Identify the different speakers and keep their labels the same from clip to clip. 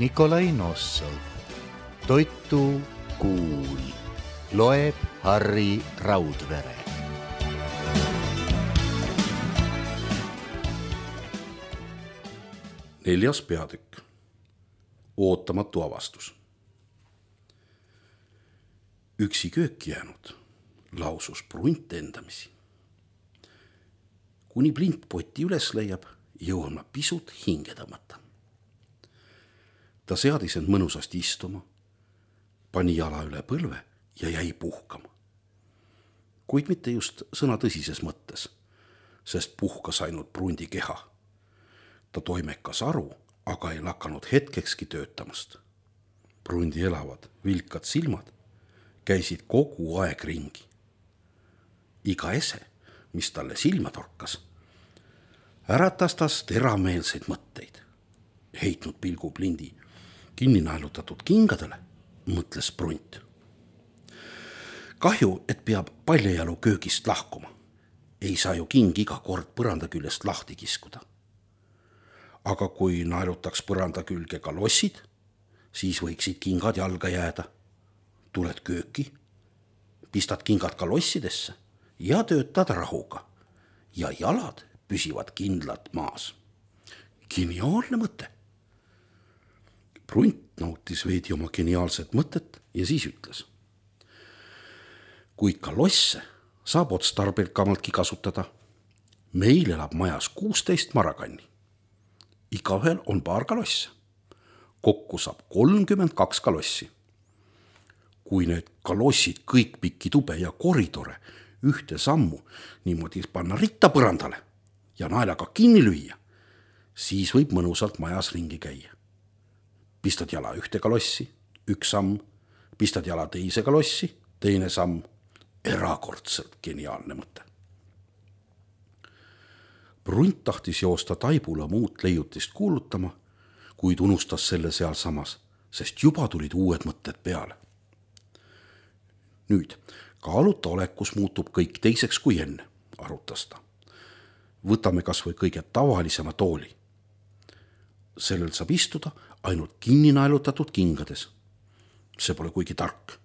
Speaker 1: Nikolai Nossov. Toitu kuul. Loeb Harri Raudvere.
Speaker 2: Neljas peatükk. Ootamatu avastus. Üksi kööki jäänud, lausus Prunt endamisi. Kuni Plint poti üles leiab, jõuan ma pisut hinge tõmmata. Ta seadis end mõnusasti istuma, pani jala üle põlve ja jäi puhkama. Kuid mitte just sõna tõsises mõttes, sest puhkas ainult Prundi keha. Ta toimekas aru, aga ei lakanud hetkekski töötamast. Prundi elavad, vilkad silmad käisid kogu aeg ringi. Iga ese, mis talle silma torkas, äratas tas terameelseid mõtteid. Heitnud pilgu Plindi kinni naelutatud kingadele, mõtles Prunt. Kahju, et peab paljajalu köögist lahkuma. Ei saa ju king iga kord põranda küljest lahti kiskuda. Aga kui naelutaks põranda külge ka lossid, siis võiksid kingad jalga jääda. Tuled kööki, pistad kingad ka lossidesse ja töötad rahuga. Ja jalad püsivad kindlalt maas. Geniaalne mõte. Prunt nautis veidi oma geniaalset mõtet ja siis ütles. Kui ka losse saab otstarbelkamaltki kasutada. Meil elab majas 16 marakanni. Igaühel on paar kalosse. Kokku saab 32 kalossi. Kui need kalossid kõik pikki tube ja koridore ühte sammu niimoodi panna ritta põrandale ja naelaga kinni lüüa, siis võib mõnusalt majas ringi käia. Pistad jala ühte kalossi, üks samm, pistad jala teise kalossi, teine samm. Erakordselt geniaalne mõte. Prunt tahtis joosta Taibula muud leiutist kuulutama, kuid unustas selle seal samas, sest juba tulid uued mõtted peale. Nüüd, kaaluta olekus muutub kõik teiseks kui enne, arutas ta. Võtame kas või kõige tavalisema tooli. Sellel saab istuda ainult kinni naelutatud kingades. See pole kuigi tark.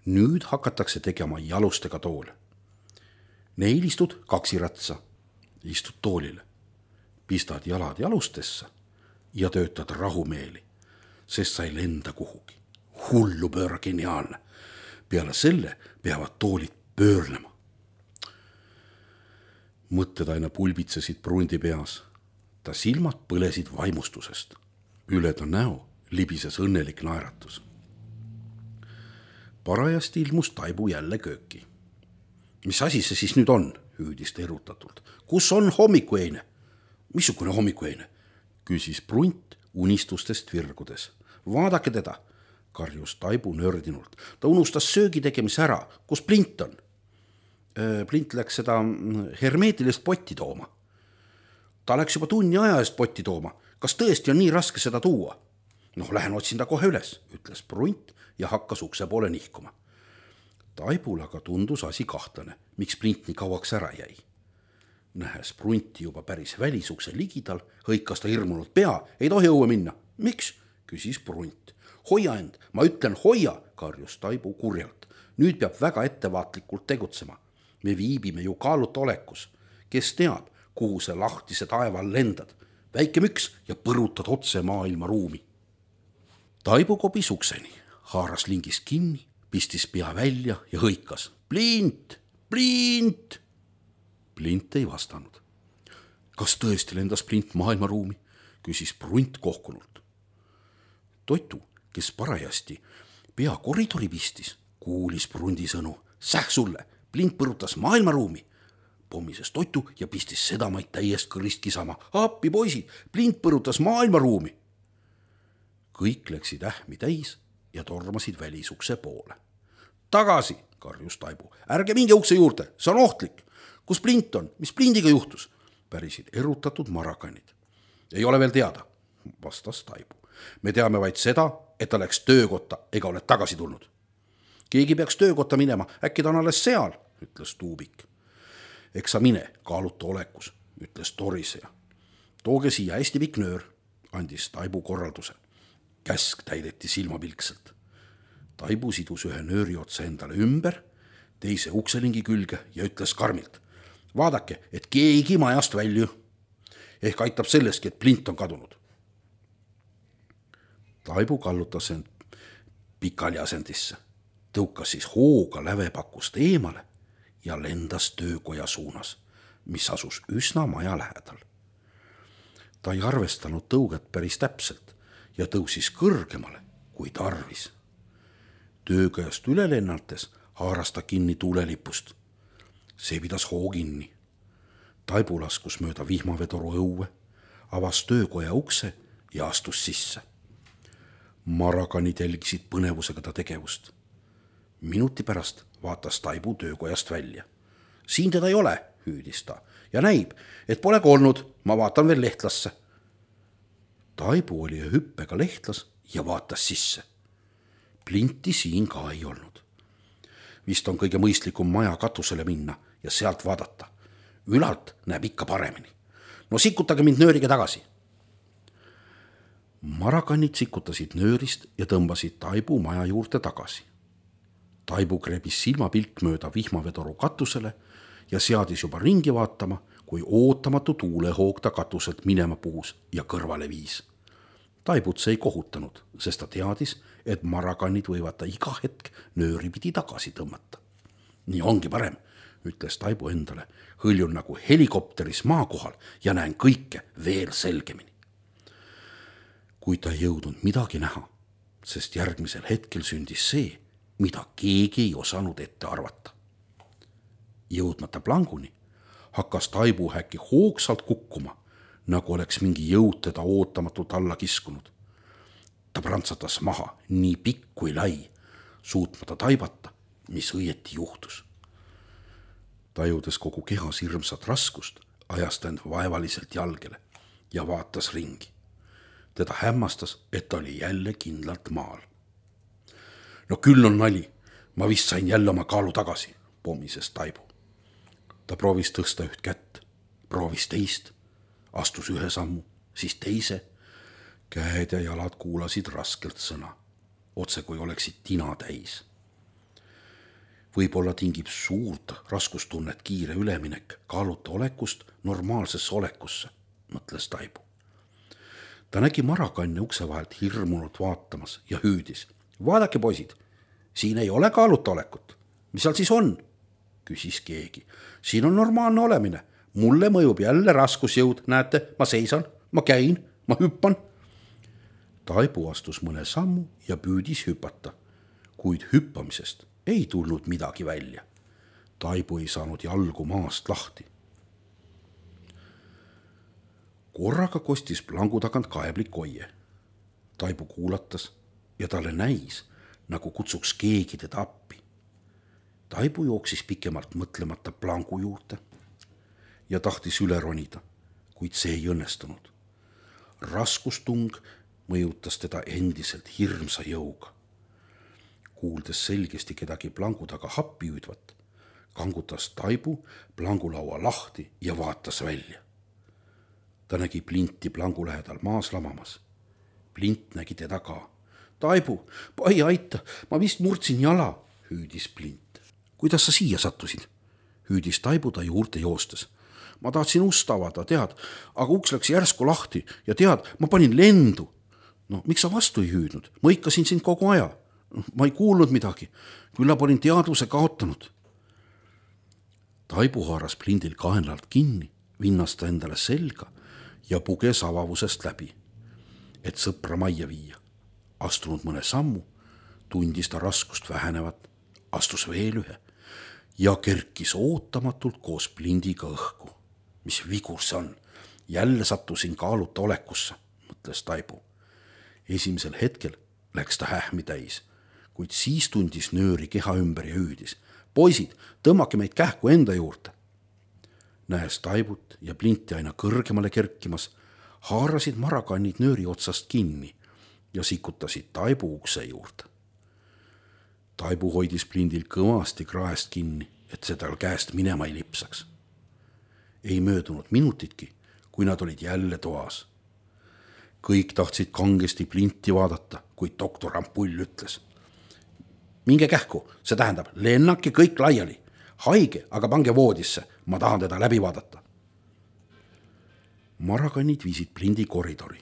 Speaker 2: Nüüd hakatakse tegema jalustega toole. Neil istud kaksiratsa, istud toolile. Pistad jalad jalustesse ja töötad rahumeeli, sest sa ei lenda kuhugi. Hullu pööra geniaalne. Peale selle peavad toolid pöörlema. Mõtted aina pulbitsesid Prundi peas. Ta silmad põlesid vaimustusest. Üle ta näo libises õnnelik naeratus. Parajasti ilmus Taibu jälle kööki. Mis asi see siis nüüd on, hüüdis ta erutatult. Kus on hommikueine? Missugune hommikueine? Küsis Prunt unistustest virgudes. Vaadake teda, karjus Taibu nördinult. Ta unustas söögi tegemise ära. Kus Plint on? Plint läks seda hermeetilist potti tooma. Ta läks juba tunni aja eest potti tooma. Kas tõesti on nii raske seda tuua? Noh, lähen otsin ta kohe üles, ütles Prunt ja hakkas ukse poole nihkuma. Taibul aga tundus asi kahtlane, miks Plint nii kauaks ära jäi. Nähes Prunti juba päris välisukse ligidal, hõikas ta hirmunud pea, ei tohi õue minna. Miks? Küsis Prunt. Hoia end, ma ütlen hoia, karjus Taibu kurjalt. Nüüd peab väga ettevaatlikult tegutsema. Me viibime ju kaaluta olekus. Kes teab, kuhu see lahtise taeval lendad? Väike müks ja põrutad otse maailma ruumi. Taibu kobis ukseni, haaras lingist kinni, pistis pea välja ja hõikas. Plint! Plint! Plint ei vastanud. Kas tõesti lendas Plint maailma ruumi? Küsis Prunt kohkunult. Toitu, kes parajasti pea koridori pistis, kuulis Prundi sõnu. Säh sulle, Plint põrutas maailma ruumi. Pommises Toitu ja pistis sedamaid täiest kõrist kisama. Appi poisid, Plint põrutas maailma ruumi. Kõik läksid ähmi täis ja tormasid välisukse poole. Tagasi, karjus Taibu. Ärge minge ukse juurde, see on ohtlik. Kus Plint on? Mis Plindiga juhtus? Pärisid erutatud marakanid. Ei ole veel teada, vastas Taibu. Me teame vaid seda, et ta läks töökotta ega ole tagasi tulnud. Keegi peaks töökotta minema, äkki ta on alles seal, ütles Tuubik. Eks sa mine, kaaluta olekus, ütles toriseja. Tooge siia hästi pikk nöör, andis Taibu korralduse. käsk täideti silmapilkselt. Taibu sidus ühe nööri otsa endale ümber, teise ukselingi külge ja ütles karmilt: vaadake, et keegi majast välju. Ehk aitab sellestki, et plint on kadunud. Taibu kallutas end pikali asendisse, tõukas siis hooga lävepakust eemale ja lendas töökoja suunas, mis asus üsna maja lähedal. Ta ei arvestanud tõuget päris täpselt ja tõusis kõrgemale kui tarvis. Töökojast üle lennates haaras ta kinni tuulelipust. See pidas hoo kinni. Taibu laskus mööda vihmavedoru õue, avas töökoja ukse ja astus sisse. Marakanid jälgisid põnevusega ta tegevust. Minuti pärast vaatas Taibu töökojast välja. Siin teda ei ole, hüüdis ta, ja näib, et polegi olnud, ma vaatan veel lehtlasse. Taibu oli hüppega lehtlas ja vaatas sisse. Plinti siin ka ei olnud. Vist on kõige mõistlikum maja katusele minna ja sealt vaadata. Ülalt näeb ikka paremini. No sikutage mind nööriga tagasi. Marakanid sikutasid nöörist ja tõmbasid Taibu maja juurde tagasi. Taibu krebis silmapilk mööda vihmavedoru katusele ja seadis juba ringi vaatama, kui ootamatu tuulehoog ta katuselt minema puhus ja kõrvale viis. Taibut see ei kohutanud, sest ta teadis, et marakanid võivad ta iga hetk nööri pidi tagasi tõmmata. Nii ongi parem, ütles Taibu endale, hõljun nagu helikopteris maa kohal ja näen kõike veel selgemini. Kui ta ei jõudnud midagi näha, sest järgmisel hetkel sündis see, mida keegi ei osanud ette arvata. Jõudmata planguni hakkas Taibu äkki hoogsalt kukkuma, nagu oleks mingi jõud teda ootamatult alla kiskunud. Ta prantsatas maha nii pikk kui lai, suutmata taibata, mis õieti juhtus. Tajudes kogu kehas hirmsat raskust, ajas ta end vaevaliselt jalgele ja vaatas ringi. Teda hämmastas, et ta oli jälle kindlalt maal. No küll on nali, ma vist sain jälle oma kaalu tagasi, pomises Taibu. Ta proovis tõsta üht kätt, proovis teist, astus ühe sammu, siis teise. Käed ja jalad kuulasid raskelt sõna, otse kui oleksid tina täis. Võib-olla tingib suurt raskustunnet kiire üleminek kaaluta olekust normaalsesse olekusse, mõtles Taibu. Ta nägi marakanne ukse vahelt hirmunult vaatamas ja hüüdis. Vaadake, poisid, siin ei ole kaaluta olekut. Mis seal siis on? Küsis keegi. Siin on normaalne olemine. Mulle mõjub jälle raskusjõud. Näete, ma seisan, ma käin, ma hüppan. Taibu astus mõne sammu ja püüdis hüpata, kuid hüppamisest ei tulnud midagi välja. Taibu ei saanud jalgu maast lahti. Korraga kostis plangu tagant kaeblik oie. Taibu kuulatas ja talle näis, nagu kutsuks keegi teda appi. Taibu jooksis pikemalt mõtlemata plangu juurde ja tahtis üle ronida, kuid see ei õnnestunud. Raskustung mõjutas teda endiselt hirmsa jõuga. Kuuldes selgesti kedagi plangu taga happi hüüdvat, kangutas Taibu plangulaua lahti ja vaatas välja. Ta nägi Plinti plangu lähedal maas lamamas. Plint nägi teda ka. Taibu, pai aita, ma vist murdsin jala, hüüdis Plint. Kuidas sa siia sattusid? Hüüdis Taibu ta juurde joostes. Ma tahtsin ust avada, tead, aga uks läks järsku lahti ja tead, ma panin lendu. No, miks sa vastu ei hüüdnud? Ma ikkasin sind kogu aja. Ma ei kuulnud midagi. Küllap olin teadvuse kaotanud. Taibu haaras Plindil kaenlalt kinni, vinnas ta endale selga ja puges avavusest läbi, et sõpra majja viia. Astunud mõne sammu, tundis ta raskust vähenevat, astus veel ühe ja kerkis ootamatult koos Plindiga õhku. Mis vigur see on? Jälle sattusin kaaluta olekusse, mõtles Taibu. Esimesel hetkel läks ta hähmi täis, kuid siis tundis nööri keha ümber ja hüüdis. Poisid, tõmmake meid kähku enda juurde. Näes Taibut ja Plinti aina kõrgemale kerkimas, haarasid marakannid nööri otsast kinni ja sikutasid Taibu ukse juurde. Taibu hoidis Plindil kõvasti kraest kinni, et see tal käest minema ei lipsaks. Ei möödunud minutitki, kui nad olid jälle toas. kõik tahtsid kangesti Plinti vaadata, kuid doktor Ampull ütles: minge kähku, see tähendab, lennake kõik laiali. Haige, aga pange voodisse, ma tahan teda läbi vaadata. Marakannid viisid Plindi koridori.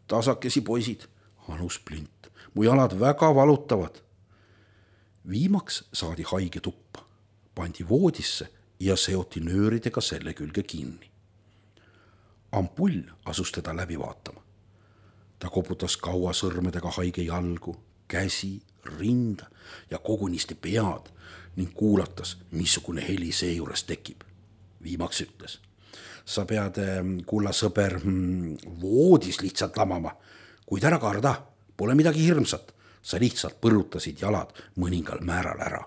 Speaker 2: Tasakesi poisid, anus Plint, mu jalad väga valutavad. Viimaks saadi haige tuppa, pandi voodisse ja seoti nööridega selle külge kinni. Ampull asus teda läbi vaatama. Ta koputas kaua sõrmedega haige jalgu, käsi, rinda ja kogunisti pead ning kuulatas, missugune heli seejuures tekib. Viimaks ütles: sa pead, kulla sõber, voodis lihtsalt lamama, kuid ära karda, pole midagi hirmsat, sa lihtsalt põrutasid jalad mõningal määral ära.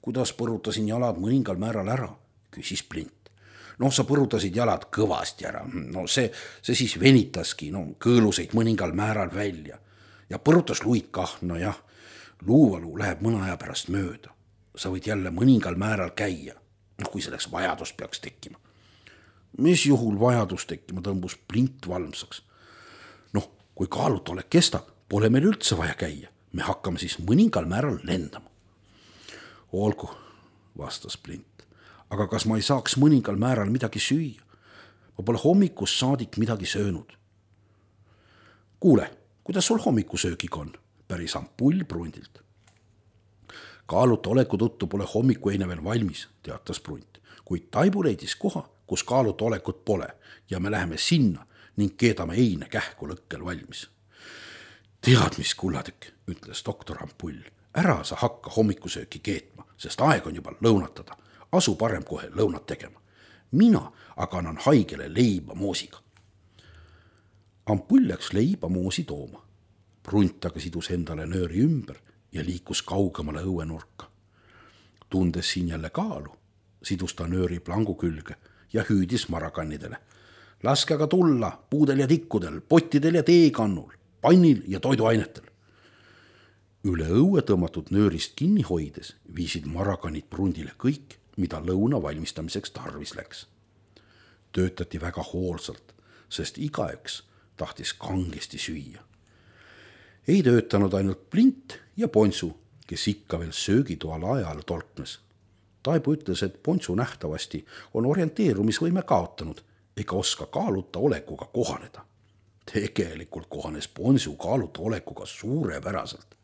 Speaker 2: Kuidas põrutasin jalad mõningal määral ära, küsis Plint. No sa põrutasid jalad kõvasti ära, no see siis venitaski, kõõluseid mõningal määral välja ja põrutas luid kah, nojah, luuvalu läheb mõne aja pärast mööda. Sa võid jälle mõningal määral käia, kui selleks vajadus peaks tekkima. Mis juhul vajadus tekkima, tõmbus Plint valmsaks. Kui kaalutolek kestab, pole meil üldse vaja käia, me hakkame siis mõningal määral lendama. Olgu, vastas Plint, aga kas ma ei saaks mõningal määral midagi süüa? Ma pole hommikust saadik midagi söönud. Kuule, kuidas sul hommikusöögiga on? Päris Ampull Brundilt. Kaaluta oleku tõttu pole hommikueine veel valmis, teatas Brunt, kuid Taibu leidis koha, kus kaaluta olekut pole ja me läheme sinna ning keedame eine kähku lõkkel valmis. Tead, mis kullatükk, ütles doktor Ampull, ära sa hakka hommikusööki keetma, sest aeg on juba lõunatada. Asu parem kohe lõunat tegema. Mina aga annan haigele leiba moosiga. Ampull läks leiba moosi tooma. Brunt aga sidus endale nööri ümber ja liikus kaugemale õuenurka. Tundes siin jälle kaalu, sidus ta nööri plangu külge ja hüüdis marakannidele. Laske aga tulla puudel ja tikkudel, pottidel ja teekannul, pannil ja toiduainetel. Üle õue tõmmatud nöörist kinni hoides viisid marakannid Brundile kõik, mida lõuna valmistamiseks tarvis läks. Töötati väga hoolsalt, sest igaüks tahtis kangesti süüa. Ei töötanud ainult Plint ja Ponsu, kes ikka veel söögitoal ajal tolknes. Taibu ütles, et Ponsu nähtavasti on orienteerumisvõime kaotanud ega oska kaaluta olekuga kohaneda. Tegelikult kohanes Ponsu kaaluta olekuga suurepäraselt.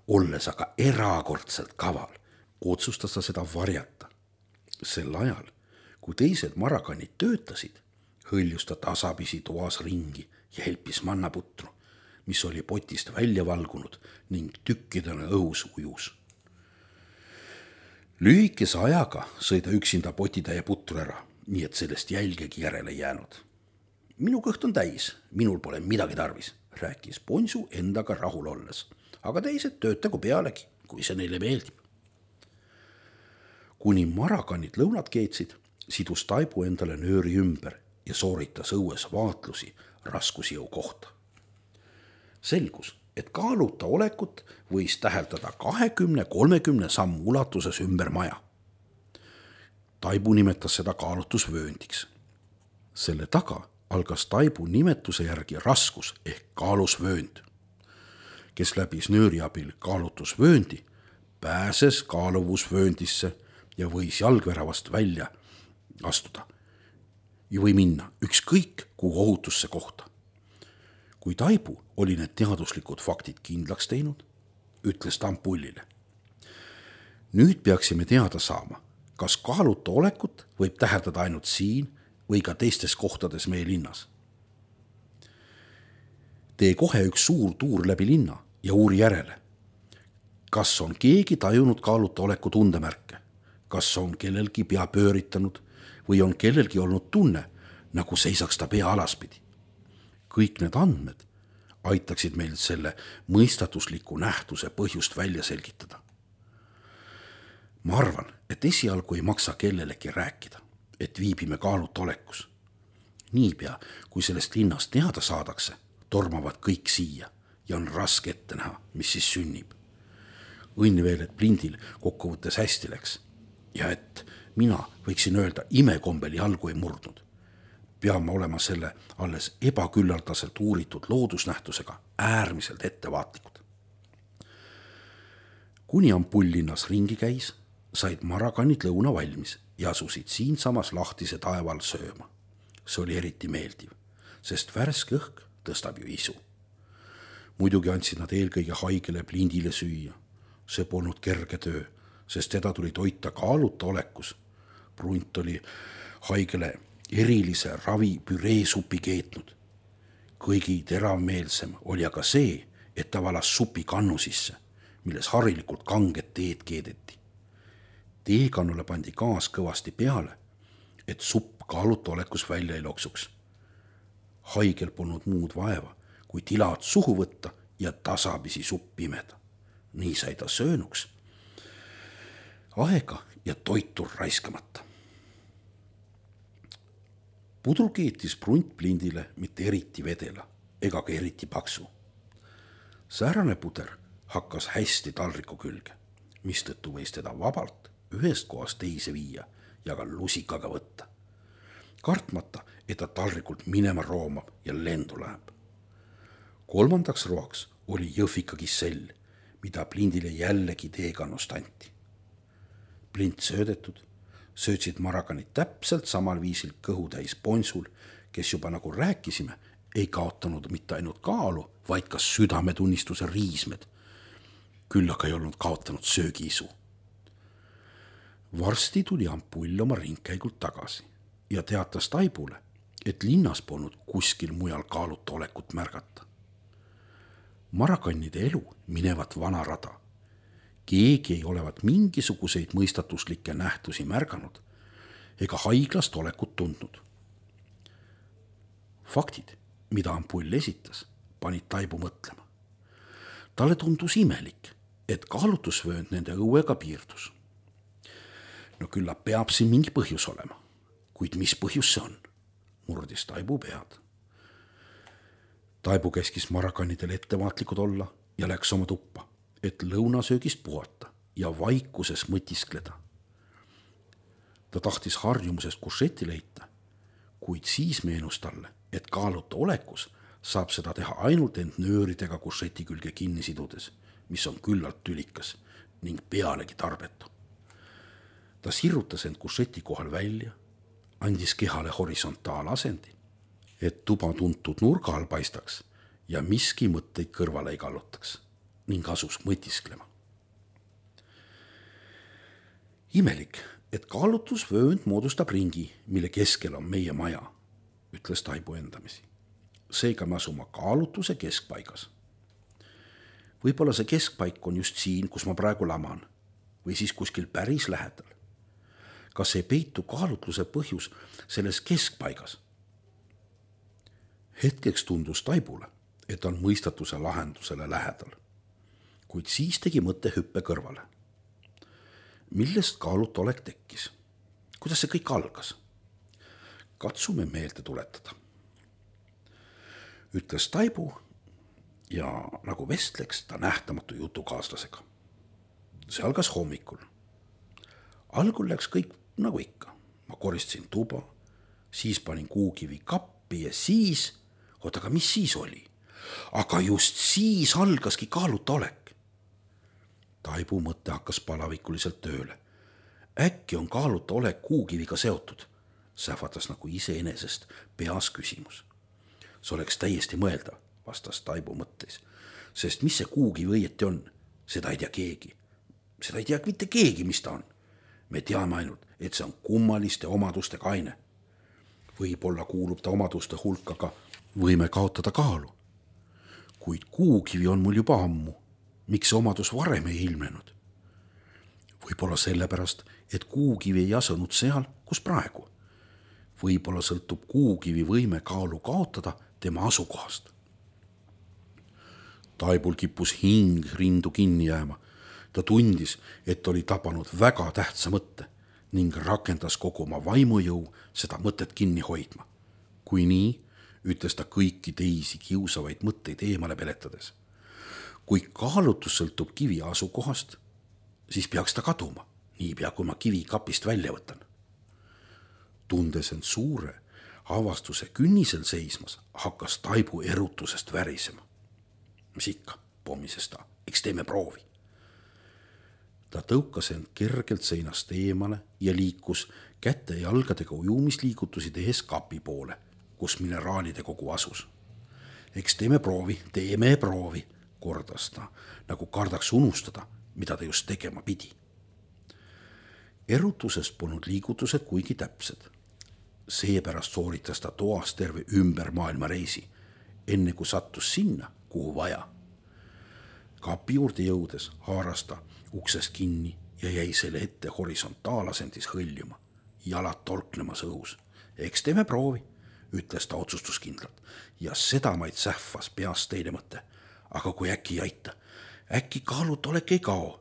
Speaker 2: Olles aga erakordselt kaval, otsustas ta seda varjata. Sel ajal, kui teised marakannid töötasid, hõljus ta tasapisi toas ringi ja helpis mannaputru, mis oli potist välja valgunud ning tükkidena õhus ujus. Lühikese ajaga sõi ta üksinda potitäie putru ära, nii et sellest jälgegi järele jäänud. Minu kõht on täis, minul pole midagi tarvis, rääkis Ponsu endaga rahul olles, aga teised töötagu pealegi, kui see neile meeldib. Kuni marakannid lõunat keetsid, sidus Taibu endale nööri ümber ja sooritas õues vaatlusi raskusjõu kohta. Selgus, et kaaluta olekut võis täheldada 20-30 sammu ulatuses ümber maja. Taibu nimetas seda kaalutusvööndiks. Selle taga algas Taibu nimetuse järgi raskus ehk kaalusvöönd. Kes läbis nööri abil kaalutusvööndi, pääses kaaluvusvööndisse ja võis jalgväravast välja astuda või minna ükskõik kuhu ohutusse kohta. Kui Taibu oli need teaduslikud faktid kindlaks teinud, ütles ta Ampullile. Nüüd peaksime teada saama, kas kaaluta olekut võib täheldada ainult siin või ka teistes kohtades meie linnas. Tee kohe üks suur tuur läbi linna ja uuri järele. Kas on keegi tajunud kaaluta oleku tundemärke? Kas on kellelgi pea pööritanud või on kellelgi olnud tunne, nagu seisaks ta pea alaspidi? Kõik need andmed aitaksid meil selle mõistatusliku nähtuse põhjust välja selgitada. Ma arvan, et esialgu ei maksa kellelegi rääkida, et viibime kaaluta olekus. Niipea, kui sellest linnast teada saadakse, tormavad kõik siia ja on raske ette näha, mis siis sünnib. Õnn veel, et Plindil kokkuvõttes hästi läks ja et mina võiksin öelda, imekombel jalgu ei murdnud. peame olema selle alles ebaküllaldaselt uuritud loodusnähtusega äärmiselt ettevaatlikud. Kuni ampull linnas ringi käis, said marakannid lõuna valmis ja asusid siinsamas lahtise taeval sööma. See oli eriti meeldiv, sest värske õhk tõstab ju isu. Muidugi andsid nad eelkõige haigele Plindile süüa. See polnud kerge töö, sest teda tuli toita kaaluta olekus. Brunt oli haigele erilise ravi püreesupi keetnud. Kõigi teravmeelsem oli aga see, et ta valas supi kannu sisse, milles harilikult kanget teed keedeti. Teekannule pandi gaas kõvasti peale, et supp kaaluta olekus välja ei loksuks. Haigel polnud muud vaeva, kui tilad suhu võtta ja tasapisi supp pimeda. Nii sai ta söönuks. Aega ja toitu raiskamata. Pudru keetis Brunt Plindile mitte eriti vedela ega ka eriti paksu. Säärane puder hakkas hästi taldriku külge, mistõttu võis teda vabalt ühest kohast teise viia ja ka lusikaga võtta. Kartmata, et ta taldrikult minema roomab ja lendu läheb. Kolmandaks roaks oli jõhvika kissell, mida Plindile jällegi teekannust anti. Plind söödetud, söötsid marakanid täpselt samal viisil kõhutäis ponsul, kes juba nagu rääkisime, ei kaotanud mitte ainult kaalu, vaid ka südametunnistuse riismed. Küll aga ei olnud kaotanud söögiisu. Varsti tuli ampull oma ringkäigult tagasi ja teatas Taibule, et linnas polnud kuskil mujal kaaluta olekut märgata. Marakannide elu minevat vana rada. Keegi ei olevat mingisuguseid mõistatuslikke nähtusi märganud ega haiglast olekut tundnud. Faktid, mida ampull esitas, panid Taibu mõtlema. Talle tundus imelik, et kaalutusvöönd nende õuega piirdus. No küllap peab siin mingi põhjus olema, kuid mis põhjus see on? Murdis Taibu pead. Taibu käskis marakannidel ettevaatlikud olla ja läks oma tuppa, et lõunasöögist puhata ja vaikuses mõtiskleda. Ta tahtis harjumusest kuršetti leita, kuid siis meenus talle, et kaaluta olekus saab seda teha ainult end nööridega kuršeti külge kinni sidudes, mis on küllalt tülikas ning pealegi tarbetu. Ta sirrutas end kuršeti kohal välja, andis kehale horisontaalasendit, et tuba tuntud nurga all paistaks ja miski mõtteid kõrvale ei kallutaks ning asus mõtisklema. Imelik, et kaalutusvöönd moodustab ringi, mille keskel on meie maja, ütles Taibu endamisi. Seega me asuma kaalutuse keskpaigas. Võib-olla see keskpaik on just siin, kus ma praegu laman, või siis kuskil päris lähedal. Kas ei peitu kaalutluse põhjus selles keskpaigas? Hetkeks tundus Taibule, et on mõistatuse lahendusele lähedal, kuid siis tegi mõtte hüppe kõrvale. Millest kaaluta olek tekkis? Kuidas see kõik algas? Katsume meelde tuletada. Ütles Taibu ja nagu vestleks ta nähtamatu jutukaaslasega. See algas hommikul. Algul läks kõik nagu ikka. Ma koristasin tuba, siis panin kuukivi kappi ja siis, aga mis siis oli? Aga just siis algaski kaaluta olek. Taibu mõte hakkas palavikuliselt tööle. Äkki on kaaluta olek kuukiviga seotud? Sähvatas nagu iseenesest peas küsimus. See oleks täiesti mõeldav, vastas Taibu mõtteis, sest mis see kuukivi õieti on? Seda ei tea keegi. Seda ei tea mitte keegi, mis ta on. Me teame ainult, et see on kummaliste omadustega aine. Võib-olla kuulub ta omaduste hulka ka võime kaotada kaalu. Kuid kuukivi on mul juba ammu. Miks see omadus varem ei ilmnenud? Võib-olla sellepärast, et kuukivi ei asunud seal, kus praegu. Võib-olla sõltub kuukivi võime kaalu kaotada tema asukohast. Taibul kippus hing rindu kinni jääma. Ta tundis, et oli tabanud väga tähtsa mõtte ning rakendas kogu oma vaimujõu seda mõtet kinni hoidma. Kui nii, ütles ta kõiki teisi kiusavaid mõtteid eemale peletades. Kui kaalutus sõltub kivi asukohast, siis peaks ta kaduma, niipea kui ma kivi kapist välja võtan. Tundes end suure, avastuse künnisel seismas hakkas Taibu erutusest värisema. Mis ikka, pommises ta, eks teeme proovi. Ta tõukas end kergelt seinast eemale ja liikus käte ja jalgadega ujumisliigutusi tehes kapi poole, kus mineraalide kogu asus. Eks teeme proovi, kordas ta, nagu kardaks unustada, mida ta just tegema pidi. Erutusest polnud liigutused kuigi täpsed. Seepärast sooritas ta toas terve ümber maailma reisi, enne kui sattus sinna, kuhu vaja. Kapi juurde jõudes haaras ta uksest kinni ja jäi selle ette horisontaalasendis hõljuma, jalad tolklemas õhus. Eks teeme proovi, ütles ta otsustuskindlalt ja sedamaid sähvas peast teine mõte. Aga kui äkki ei aita, äkki kaalutolek ei kao.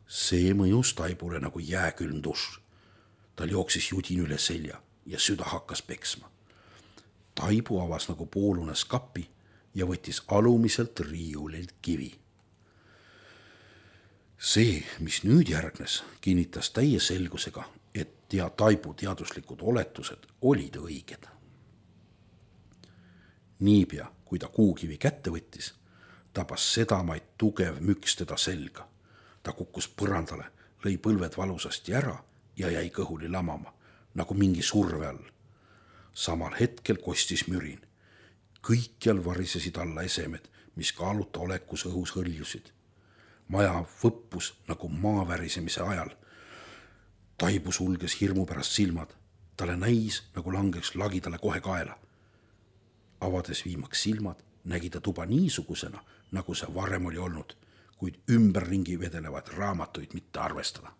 Speaker 2: See mõjus Taibule nagu jääkülm dušš. Tal jooksis judin üle selja ja süda hakkas peksma. Taibu avas nagu poolunes kapi ja võttis alumiselt riiulilt kivi. See, mis nüüd järgnes, kinnitas täie selgusega, et Taibu teaduslikud oletused olid õiged. Niipea, kui ta kuukivi kätte võttis, tabas sedamaid tugev müks teda selga. Ta kukkus põrandale, lõi põlved valusasti ära ja jäi kõhuli lamama, nagu mingi surve all. Samal hetkel kostis mürin. Kõikjal varisesid alla esemed, mis kaaluta olekus õhus hõljusid. Maja võppus nagu maa värisemise ajal. Taibu sulges hirmu pärast silmad. Talle näis, nagu langeks lagi talle kohe kaela. Avades viimaks silmad, nägi ta tuba niisugusena, nagu see varem oli olnud, kuid ümberringi vedelevad raamatuid mitte arvestada.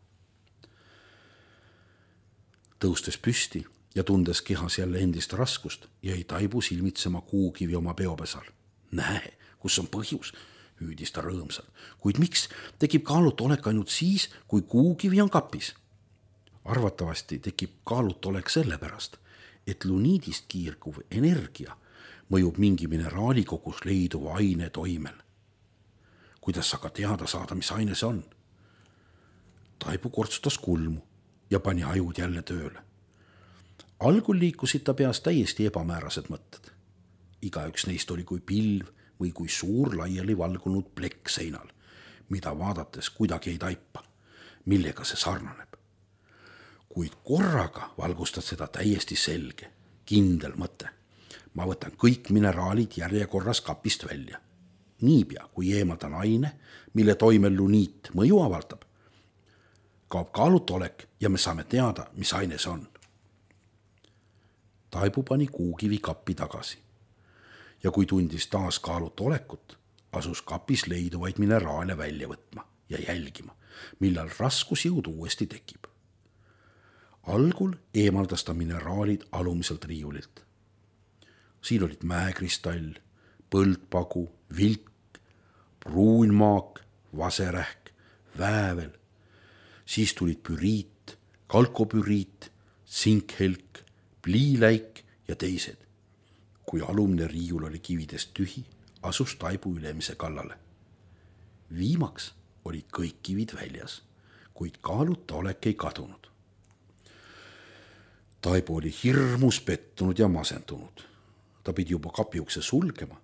Speaker 2: Tõustes püsti ja tundes kehas jälle endist raskust, jäi Taibu silmitsema kuukivi oma peopesal. Näe, kus on põhjus, hüüdis ta rõõmsalt, kuid miks tekib kaalutolek ainult siis, kui kuukivi on kapis? Arvatavasti tekib kaalutolek sellepärast, et luniidist kiirguv energia mõjub mingi mineraalikogus leiduva aine toimel. Kuidas aga teada saada, mis aine see on? Taibu kortsutas kulmu ja pani ajud jälle tööle. Algul liikusid ta peas täiesti ebamäärased mõtted. Igaüks neist oli kui pilv või kui suur laiali valgunud plekk seinal, mida vaadates kuidagi ei taipa, millega see sarnaneb. Kuid korraga valgustad seda täiesti selge, kindel mõte. Ma võtan kõik mineraalid järjekorras kapist välja. Niipea, kui eemaldan aine, mille toimel luniit mõju avaldab, kaob kaalutolek ja me saame teada, mis aine see on. Taibu pani kuukivi kappi tagasi. Ja kui tundis taas kaalutolekut, asus kapis leiduvaid mineraale välja võtma ja jälgima, millal raskusjõud uuesti tekib. Algul eemaldas ta mineraalid alumiselt riiulilt. Siin olid mäekristall, põldpagu, vilk, pruunmaak, vaserähk, väävel. Siis tulid püriit, kalkopüriit, sinkhelk, pliiläik ja teised. Kui alumne riiul oli kividest tühi, asus Taibu ülemise kallale. Viimaks olid kõik kivid väljas, kuid kaalutolek ei kadunud. Taibu oli hirmus pettunud ja masendunud. Ta pidi juba kapiukse sulgema,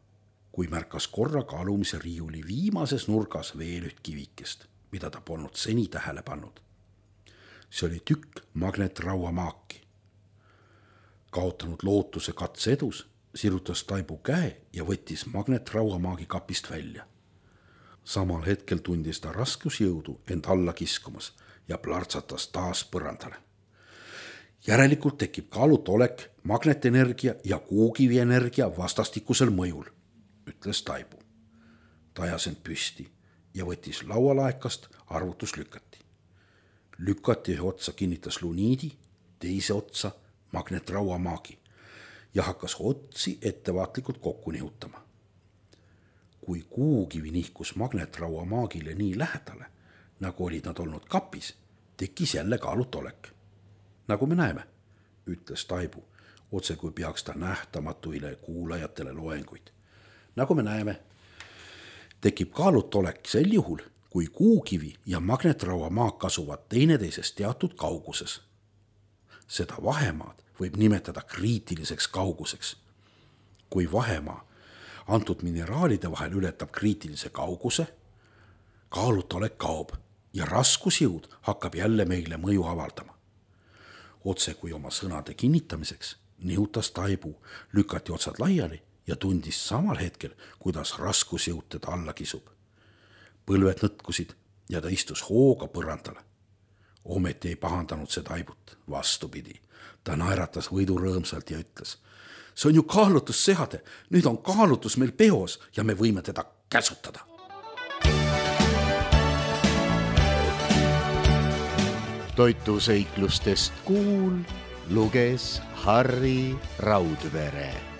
Speaker 2: kui märkas korraga alumise riiuli viimases nurgas veel üht kivikest, mida ta polnud seni tähele pannud. See oli tükk magnetrauamaaki. Kaotanud lootuse katse edus, sirutas Taibu käe ja võttis magnetrauamaagi kapist välja. Samal hetkel tundis ta raskusjõudu end alla kiskumas ja plärtsatas taas põrandale. Järelikult tekib kaalutolek magnetenergia ja kuukivi energia vastastikusel mõjul, ütles Taibu. Ta ajas end püsti ja võttis laualaekast arvutuslükati. Lükati ühe otsa kinnitas luniidi, teise otsa magnetrauamaagi ja hakkas otsi ettevaatlikult kokku nihutama. Kui kuukivi nihkus magnetrauamaagile nii lähedale, nagu olid nad olnud kapis, tekkis jälle kaalutolek. Nagu me näeme, ütles Taibu, otse kui peaks ta nähtamatuile kuulajatele loenguid. Nagu me näeme, tekib kaalutolek sel juhul, kui kuukivi ja magnetrauamaak asuvad teineteisest teatud kauguses. Seda vahemaad võib nimetada kriitiliseks kauguseks. Kui vahemaa antud mineraalide vahel ületab kriitilise kauguse, kaalutolek kaob ja raskusjõud hakkab jälle meile mõju avaldama. Otse kui oma sõnade kinnitamiseks nihutas Taibu, lükati otsad laiali ja tundis samal hetkel, kuidas raskusjõud teda alla kisub. Põlved nõtkusid ja ta istus hooga põrandale. Ometi ei pahandanud see Taibut, vastupidi. Ta naeratas võidu rõõmsalt ja ütles: see on ju kaalutusseade, nüüd on kaalutus meil peos ja me võime teda käsutada.
Speaker 1: Toituseiklustest Kuul luges Harri Raudvere.